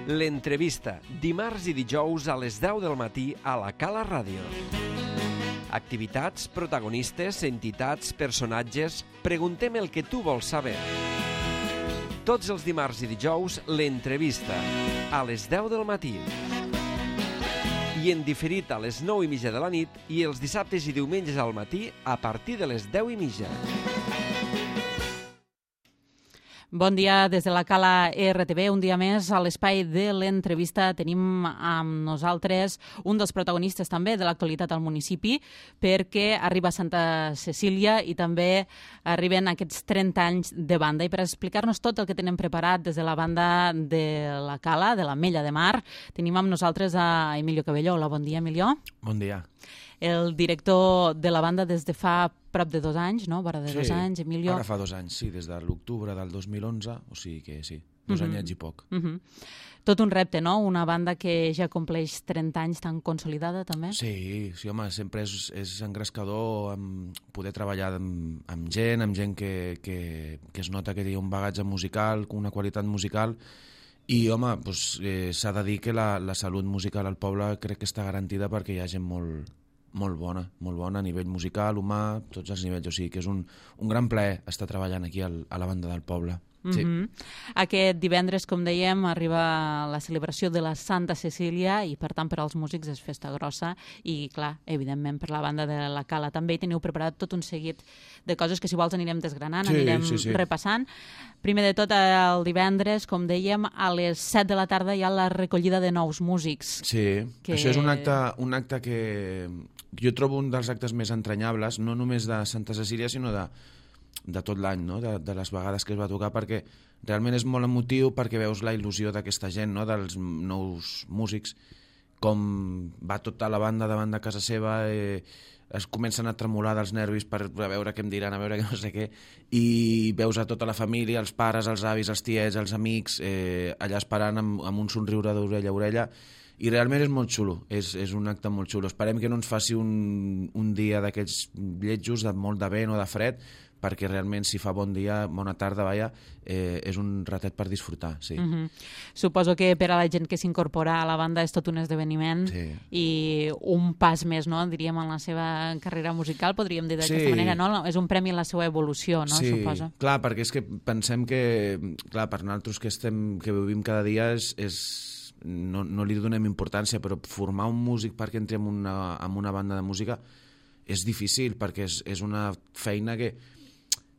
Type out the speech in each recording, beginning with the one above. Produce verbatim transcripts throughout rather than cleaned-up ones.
L'entrevista, dimarts i dijous a les deu del matí a la Cala Ràdio. Activitats, protagonistes, entitats, personatges... Preguntem el que tu vols saber. Tots els dimarts i dijous, l'entrevista, a les deu del matí. I en diferit a les nou i mitja de la nit i els dissabtes i diumenges al matí a partir de les deu i mitja. Bon dia des de la Cala R T V. Un dia més a l'espai de l'entrevista tenim amb nosaltres un dels protagonistes també de l'actualitat al municipi, perquè arriba a Santa Cecília i també arriben aquests trenta anys de banda. I per explicar-nos tot el que tenen preparat des de la banda de la Cala, de la Mella de Mar, tenim amb nosaltres a Emilio Cabello. Hola, bon dia, Emilio. Bon dia. El director de la banda des de fa prop de dos anys, no? Vora de sí, dos anys, Emilio. Ara fa dos anys, sí, des de l'octubre del dos mil onze, o sigui que sí, dos uh -huh. anyets i poc. Uh -huh. Tot un repte, no? Una banda que ja compleix trenta anys tan consolidada, també? Sí, sí, home, sempre és, és engrescador amb poder treballar amb, amb gent, amb gent que, que, que es nota que té un bagatge musical, una qualitat musical, i, home, doncs, eh, s'ha de dir que la, la salut musical al poble crec que està garantida perquè hi ha gent molt... molt bona, molt bona a nivell musical, humà, tots els nivells. O sigui que és un, un gran plaer estar treballant aquí al, a la banda del poble. Sí. Mm-hmm. Aquest divendres, com dèiem, arriba la celebració de la Santa Cecília i, per tant, per als músics és festa grossa i, clar, evidentment, per la banda de la Cala també hi teniu preparat tot un seguit de coses que, si vols, anirem desgranant, sí, anirem sí, sí. repassant. Primer de tot, el divendres, com dèiem, a les set de la tarda hi ha la recollida de nous músics. Sí, que... això és un acte, un acte que jo trobo un dels actes més entranyables, no només de Santa Cecília, sinó de de tot l'any, no? de, de les vegades que es va tocar, perquè realment és molt emotiu, perquè veus la il·lusió d'aquesta gent, no? Dels nous músics, com va tota la banda davant de casa seva, eh, es comencen a tremolar dels nervis per a veure què em diran, a veure què no sé què, i veus a tota la família, els pares, els avis, els tiets, els amics, eh, allà esperant amb, amb un somriure d'orella a orella, i realment és molt xulo, és, és un acte molt xulo. Esperem que no ens faci un, un dia d'aquests lletjos, de molt de vent o de fred, perquè realment si fa bon dia, bona tarda, vaja, eh, és un ratet per disfrutar, sí. Mm-hmm. Suposo que per a la gent que s'incorpora a la banda és tot un esdeveniment sí. i un pas més, no?, diríem, en la seva carrera musical, podríem dir d'aquesta sí. manera, no? És un premi en la seva evolució, no?, sí. suposo. Clar, perquè és que pensem que, clar, per nosaltres que, estem, que vivim cada dia és... és no, no li donem importància, però formar un músic perquè entri en una, en una banda de música és difícil, perquè és, és una feina que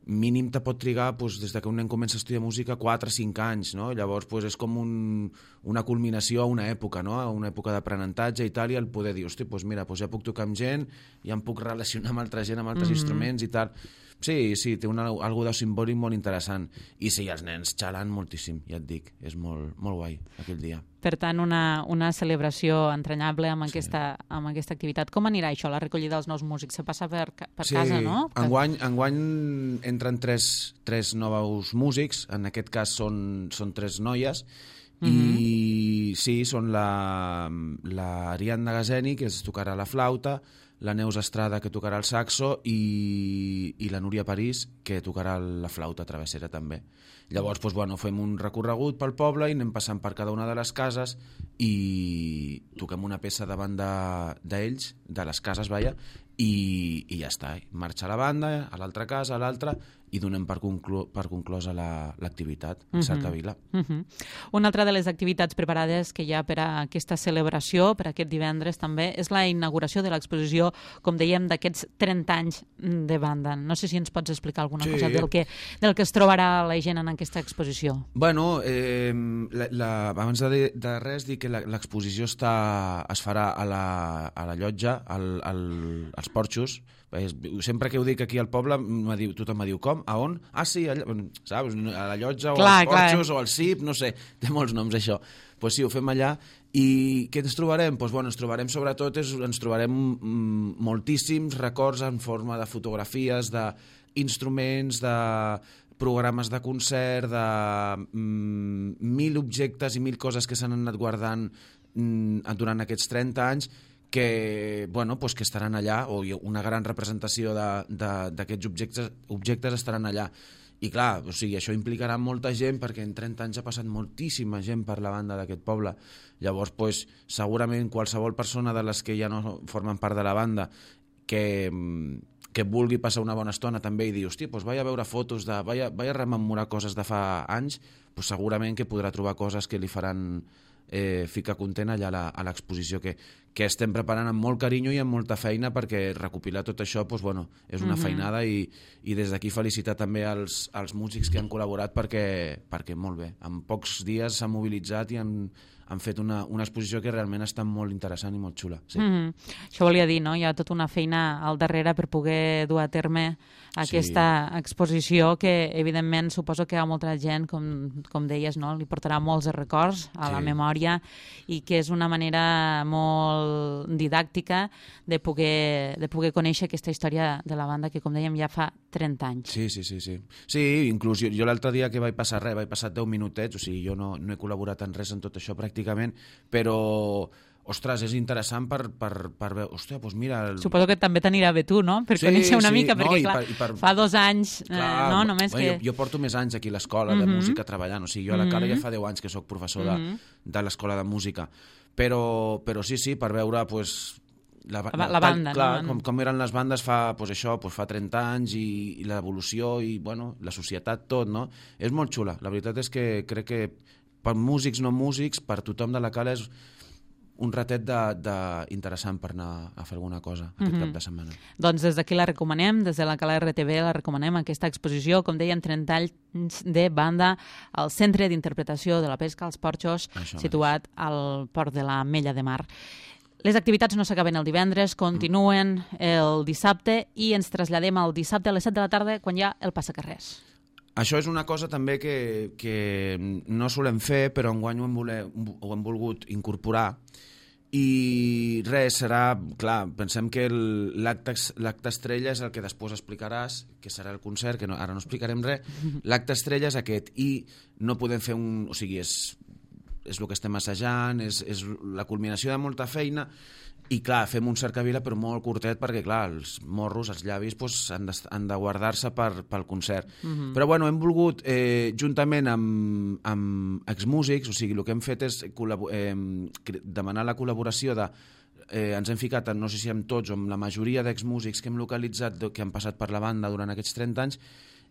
mínim te pot trigar, doncs, des que un nen comença a estudiar música, quatre o cinc anys, no? Llavors doncs, és com un, una culminació a una època, no? A una època d'aprenentatge i tal, i el poder dir, hosti, doncs mira, doncs ja puc tocar amb gent, ja em puc relacionar amb altra gent, amb altres mm-hmm. instruments i tal. Sí, sí, té una, algo de simbòlic molt interessant. I sí, els nens xalen moltíssim, ja et dic, és molt, molt guai aquell dia. Per tant, una, una celebració entranyable amb, sí. aquesta, amb aquesta activitat. Com anirà això, la recollida dels nous músics? Se passa per, per sí, casa, no? Enguany, enguany entren tres, tres nous músics, en aquest cas són, són tres noies, mm-hmm. i sí, són la, la Ariadna Gazeni, que es tocarà la flauta, la Neus Estrada, que tocarà el saxo, i, i la Núria París, que tocarà la flauta travessera també. Llavors, doncs, bueno, fem un recorregut pel poble i anem passant per cada una de les cases i toquem una peça davant d'ells, de, de les cases, vaja, i, i ja està. Marxa la banda, a l'altra casa, a l'altra, i donem per, conclu per conclosa l'activitat la, a Cercavila. Uh -huh. Una altra de les activitats preparades que hi ha per a aquesta celebració, per aquest divendres també, és la inauguració de l'exposició, com dèiem, d'aquests trenta anys de banda. No sé si ens pots explicar alguna sí. cosa del que, del que es trobarà la gent en aquesta exposició. Bueno, eh, la, la, abans de, de res, dir que l'exposició està es farà a la, a la llotja, al, al, als porxos. Sempre que ho dic aquí al poble, diu, tothom me diu, com? A on? Ah, sí, allà, saps? A la llotja, o clar, als porxos, clar. O al C I P, no sé, té molts noms, això. Doncs pues sí, ho fem allà. I què ens trobarem? Doncs bueno, ens trobarem sobretot, és, ens trobarem mm, moltíssims records en forma de fotografies, d'instruments, de programes de concert, de mm, mil objectes i mil coses que s'han anat guardant mm, durant aquests trenta anys, que, bueno, pues que estaran allà, o una gran representació d'aquests objectes, objectes estaran allà. I clar, o sigui, això implicarà molta gent perquè en trenta anys ha passat moltíssima gent per la banda d'aquest poble. Llavors, pues, segurament qualsevol persona de les que ja no formen part de la banda que, que vulgui passar una bona estona també i dir, hòstia, pues vaig a veure fotos, de, vaig, a, vaig a rememorar coses de fa anys, pues segurament que podrà trobar coses que li faran eh, ficar content allà a l'exposició que, que estem preparant amb molt carinyo i amb molta feina, perquè recopilar tot això pues, bueno, és una mm-hmm. feinada i, i des d'aquí felicitar també als, als músics que han col·laborat perquè, perquè molt bé, en pocs dies s'han mobilitzat i han, han fet una, una exposició que realment està molt interessant i molt xula. Sí. Mm-hmm. Això volia dir, no? Hi ha tota una feina al darrere per poder dur a terme aquesta sí. exposició que, evidentment, suposo que a molta gent, com, com deies, no? Li portarà molts records a sí. la memòria i que és una manera molt didàctica de poder, de poder conèixer aquesta història de la banda que, com dèiem, ja fa trenta anys. Sí, sí, sí. Sí, sí inclús jo, jo l'altre dia que vaig passar res, vaig passar deu minutets, o sigui, jo no, no he col·laborat en res en tot això pràcticament, però ostres, és interessant per, per, per veure... Hòstia, doncs mira... El... Suposo que també t'anirà bé tu, no? Per sí, conèixer una sí. mica, perquè, no, clar, per, per... fa dos anys, clar, eh, no? Només bueno, que... Jo, jo porto més anys aquí a l'escola mm-hmm. de música treballant, o sigui, jo a la Cala mm-hmm. ja fa deu anys que sóc professor mm-hmm. de, de l'escola de música, però, però sí, sí, per veure, pues, la, la, la banda, clar, no? Com, com eren les bandes fa, pues, això, pues, fa trenta anys i, i l'evolució i, bueno, la societat, tot, no? És molt xula. La veritat és que crec que per músics, no músics, per tothom de la Cala és un ratet de, de interessant per anar a fer alguna cosa aquest mm-hmm. cap de setmana. Doncs des d'aquí la recomanem, des de la Cala R T V la recomanem, aquesta exposició, com dèiem, trenta anys de banda al Centre d'Interpretació de la Pesca als Porxos, Això situat és. al Port de la Mella de Mar. Les activitats no s'acaben el divendres, continuen el dissabte i ens traslladem al dissabte a les set de la tarda quan hi ha el passacarrers. Això és una cosa també que, que no solem fer, però enguany ho hem, voler, ho hem volgut incorporar. I res, serà... Clar, pensem que l'acte estrella és el que després explicaràs, que serà el concert, que no, ara no explicarem res. L'acte estrella és aquest i no podem fer un... O sigui, és, és el que estem assajant, és, és la culminació de molta feina. I clar, fem un cercavila però molt curtet perquè clar, els morros, els llavis pues, han, de, han de guardar-se per, pel concert. Uh-huh. Però bueno, hem volgut eh, juntament amb, amb exmúsics, o sigui, el que hem fet és eh, demanar la col·laboració de eh, ens hem ficat, no sé si amb tots o amb la majoria d'exmúsics que hem localitzat que han passat per la banda durant aquests trenta anys,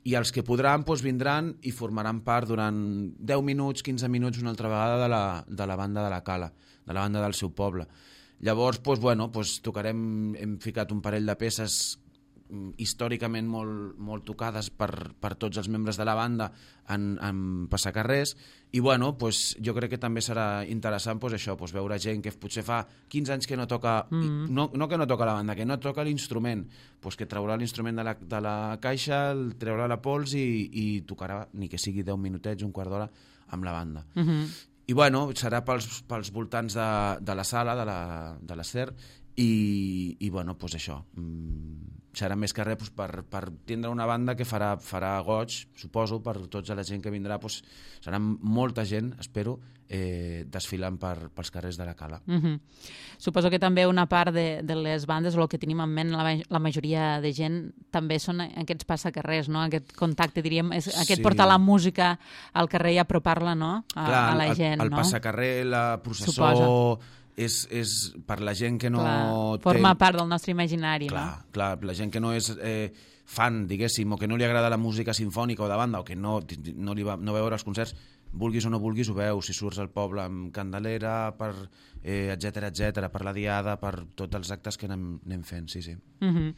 i els que podran doncs, vindran i formaran part durant deu minuts, quinze minuts una altra vegada de la, de la banda de la Cala, de la banda del seu poble. Llavors, doncs, bueno, doncs, tocarem, hem ficat un parell de peces històricament molt, molt tocades per, per tots els membres de la banda en, en passacarrers i bueno, doncs, jo crec que també serà interessant doncs, això, doncs, veure gent que potser fa quinze anys que no toca, mm. no, no que no toca la banda, que no toca l'instrument, doncs, que traurà l'instrument de la, de la caixa, el treurà la pols i, i tocarà, ni que sigui deu minutets, un quart d'hora, amb la banda. Mm-hmm. I bueno, serà pels, pels voltants de, de la sala, de la, de la SER, i, i bueno, doncs això, serà més que res doncs, per, per tindre una banda que farà, farà goig, suposo, per tota la gent que vindrà, doncs, serà molta gent, espero, eh, desfilant per, pels carrers de la Cala. Mm-hmm. Suposo que també una part de, de les bandes, o el que tenim en ment la, la majoria de gent, també són aquests passacarrers, no? Aquest contacte, diríem, és, aquest sí. portar la música al carrer i apropar-la, no? A, Clar, a la gent, el, el no? El passacarrer, la processó... És, és per la gent que no clar, forma té... part del nostre imaginari, clar, no? Clar, la gent que no és eh, fan, diguéssim, o que no li agrada la música sinfònica o de banda, o que no, no, li va, no veure els concerts, vulguis o no vulguis ho veus, si surts al poble amb Candelera, per, eh, etcètera, etcètera, per la diada, per tots els actes que anem, anem fent, sí, sí. Uh-huh.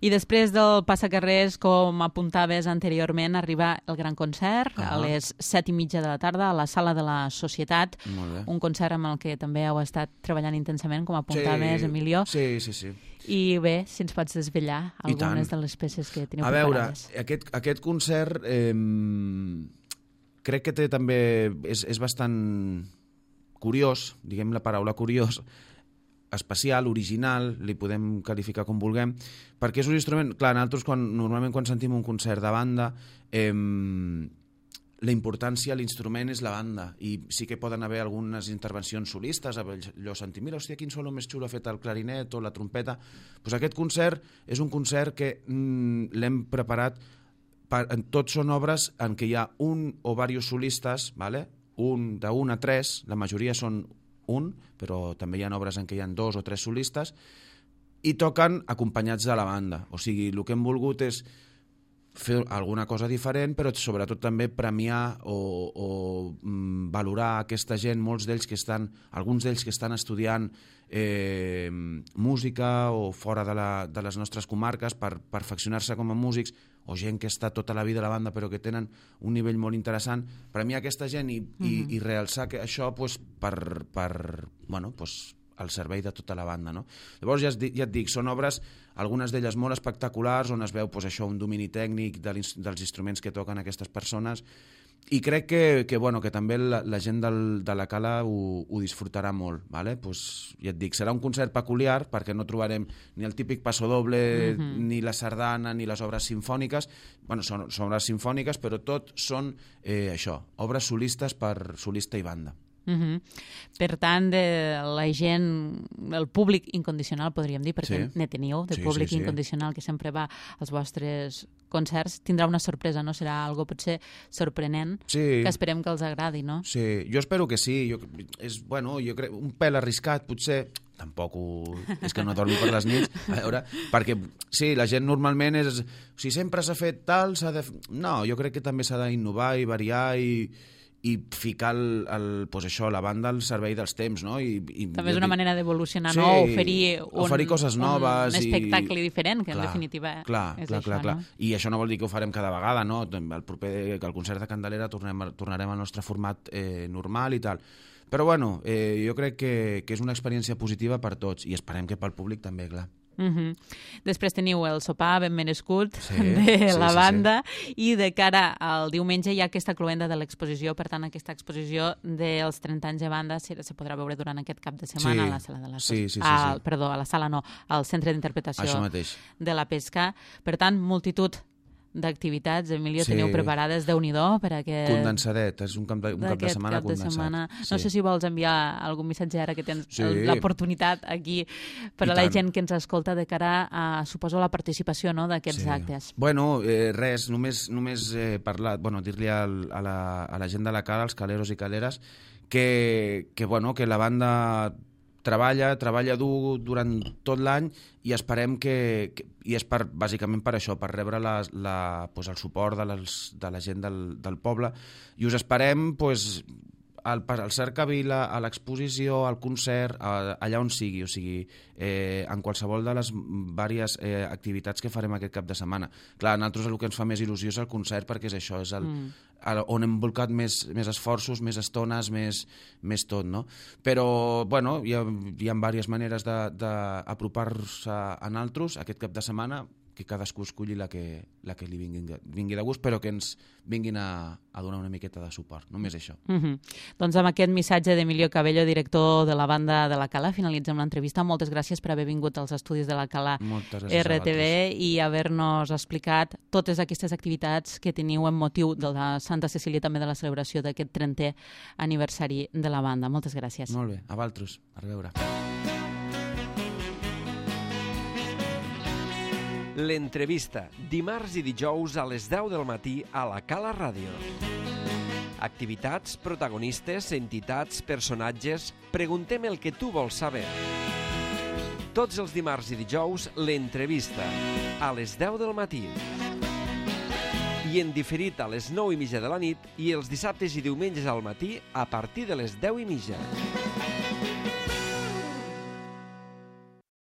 I després del passacarrers, com apuntaves anteriorment, arriba el gran concert uh-huh. a les set i mitja de la tarda a la Sala de la Societat, un concert amb el que també heu estat treballant intensament, com apuntaves, sí, Emilio. Sí, sí, sí. I bé, si ens pots desvetllar algunes de les peces que teniu preparades. A veure, aquest, aquest concert... Eh, crec que té també, és, és bastant curiós, diguem la paraula curiós, especial, original, li podem qualificar com vulguem, perquè és un instrument, clar, nosaltres quan, normalment quan sentim un concert de banda, eh, la importància, l'instrument és la banda, i sí que poden haver algunes intervencions solistes, allò sentir, mira, hòstia, quin solo més xulo ha fet el clarinet o la trompeta, doncs aquest concert és un concert que mm, l'hem preparat per, tots són obres en què hi ha un o diversos solistes, ¿vale? un d'un a tres, la majoria són un, però també hi ha obres en què hi ha dos o tres solistes, i toquen acompanyats de la banda. O sigui, el que hem volgut és fer alguna cosa diferent, però sobretot també premiar o, o mm, valorar aquesta gent, molts d'ells que estan, alguns d'ells que estan estudiant eh, música o fora de, la, de les nostres comarques per perfeccionar-se com a músics, o gent que està tota la vida a la banda però que tenen un nivell molt interessant, premiar aquesta gent i, mm-hmm. i, i realçar que això pues, per, per bueno, pues, al servei de tota la banda, no? Llavors, ja, ja et dic, són obres, algunes d'elles molt espectaculars, on es veu pues, això, un domini tècnic de dels instruments que toquen aquestes persones, i crec que, que, bueno, que també la, la gent del, de la Cala ho, ho disfrutarà molt, ¿vale? Pues, ja et dic, serà un concert peculiar, perquè no trobarem ni el típic pasodoble, mm-hmm. ni la sardana, ni les obres simfòniques, bueno, són, són obres simfòniques, però tot són eh, això, obres solistes per solista i banda. Uh-huh. Per tant, de la gent, el públic incondicional, podríem dir, perquè sí. ne teniu, de sí, públic sí, sí. incondicional que sempre va als vostres concerts, tindrà una sorpresa, no? Serà algo potser sorprenent, sí. que esperem que els agradi, no? Sí, jo espero que sí. Jo, és, bueno, jo crec, un pèl arriscat, potser, tampoc ho, és que no dormi per les nits, a veure, perquè sí, la gent normalment és, si sempre s'ha fet tal, s'ha de... No, jo crec que també s'ha d'innovar i variar i i ficar el, el, pues això, la banda al servei dels temps, no? I, i, també és una manera d'evolucionar, sí, no? Oferir, un, oferir coses noves. Un espectacle i... diferent, que clar, en definitiva clar, és clar, això, clar, clar. no? I això no vol dir que ho farem cada vegada, no? El proper, que el concert de Candelera tornem, tornarem al nostre format eh, normal i tal. Però bueno, eh, jo crec que, que és una experiència positiva per tots i esperem que pel públic també, clar. Uh-huh. Després teniu el sopar ben merescut sí, de sí, la sí, banda sí. i de cara al diumenge hi ha aquesta cloenda de l'exposició, per tant aquesta exposició dels trenta anys de banda se, se podrà veure durant aquest cap de setmana sí. a la sala de la sí, sí, sí, al, sí. perdó, a la sala no, al centre d'interpretació de la Pesca. Per tant, multitud d'activitats, Emilio, sí. teniu preparades, Déu-n'hi-do per aquest... Condensadet, és un cap de, un cap de setmana cap condensat. De setmana. Sí. No sé si vols enviar algun missatge ara que tens sí. l'oportunitat aquí per a la gent que ens escolta de cara a, suposo, la participació, no?, d'aquests sí. actes. Bueno, eh, res, només, només eh, parlar, bueno, dir-li a la, a la gent de la Cala, als caleros i caleres, que, que, bueno, que la banda treballa, treballa dur durant tot l'any i esperem que, que i és per, bàsicament per això, per rebre la, la, pues el suport de, les, de la gent del, del poble, i us esperem pues, al, al Cercavila, a l'exposició, al concert, a, allà on sigui, o sigui, eh, en qualsevol de les diverses eh, activitats que farem aquest cap de setmana. Clar, a nosaltres el que ens fa més il·lusió és el concert, perquè és això, és el, mm. el, on hem volcat més, més esforços, més estones, més, més tot, no? Però, bueno, hi ha, hi ha diverses maneres d'apropar-se a nosaltres aquest cap de setmana, que cadascú escolli la que, la que li vingui, vingui de gust, però que ens vinguin a, a donar una miqueta de suport. Només això. Mm-hmm. Doncs amb aquest missatge d'Emilio Cabello, director de la banda de la Cala, finalitzem l'entrevista. Moltes gràcies per haver vingut als estudis de la Cala R T V i haver-nos explicat totes aquestes activitats que teniu en motiu de la Santa Cecília, també de la celebració d'aquest trentè aniversari de la banda. Moltes gràcies. Molt bé. A vosaltres. A reveure. L'entrevista, dimarts i dijous a les deu del matí a la Cala Ràdio. Activitats, protagonistes, entitats, personatges... Preguntem el que tu vols saber. Tots els dimarts i dijous, l'entrevista, a les deu del matí. I en diferit a les nou i mitja de la nit i els dissabtes i diumenges al matí a partir de les deu i mitja.